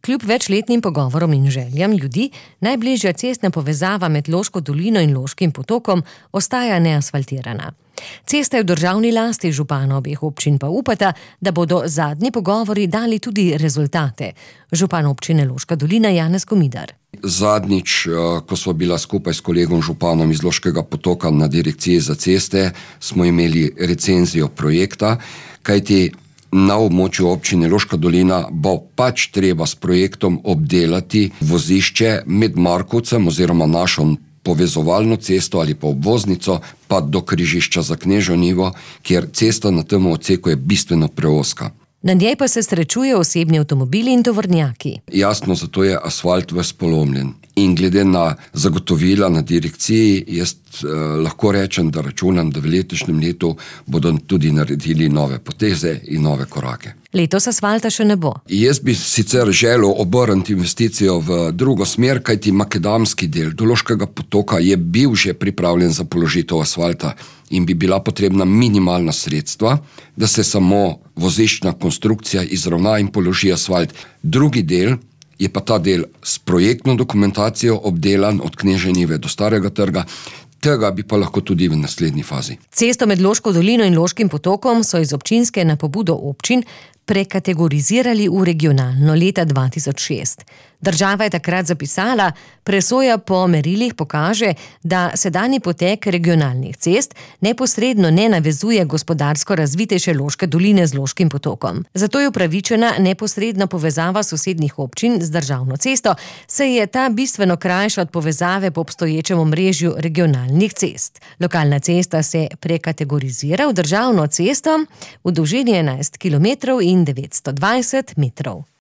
Kljub večletnim pogovorom in željam ljudi, najbližja cestna povezava med Loško dolino in Loškim potokom ostaja neasfaltirana. Cesta je v državni lasti, župan obeh občin pa upata, da bodo zadnji pogovori dali tudi rezultate. Župan občine Loška dolina Janez Komidar. Zadnjič, ko smo bila skupaj s kolegom županom iz Loškega potoka na direkciji za ceste, smo imeli recenzijo projekta, kajti na območju občine Loška dolina bo pač treba s projektom obdelati vozišče med Markovcem oziroma našo povezovalno cesto ali pa obvoznico pa do križišča za Knežjo Njivo, kjer cesta na tem odseku je bistveno preozka. Na njej pa se srečujejo osebni avtomobili in tovornjaki. Jasno, zato je asfalt ves polomljen. In glede na zagotovila na direkciji, jaz lahko rečem, da računam, da v letošnjem letu bodo tudi naredili nove poteze in nove korake. Letos asfalta še ne bo. Jaz bi sicer želel obrniti investicijo v drugo smer, kajti makadamski del do Loškega potoka je bil že pripravljen za položitev asfalta in bi bila potrebna minimalna sredstva, da se samo voziščna konstrukcija izravna in položi asfalt. Drugi del je pa ta del s projektno dokumentacijo obdelan od Knežje Njive do Starega trga, tega bi pa lahko tudi v naslednji fazi. Cesto med Loško dolino in Loškim potokom so iz občinske na pobudo občin prekategorizirali v regionalno leta 2006. Država je takrat zapisala, presoja po merilih pokaže, da sedanji potek regionalnih cest neposredno ne navezuje gospodarsko razvitejše Loške doline z Loškim potokom. Zato je upravičena neposredna povezava sosednjih občin z državno cesto, saj je ta bistveno krajša od povezave po obstoječem omrežju regionalnih cest. Lokalna cesta se prekategorizira v državno cesto v dolžini 11 km in 920 metrov.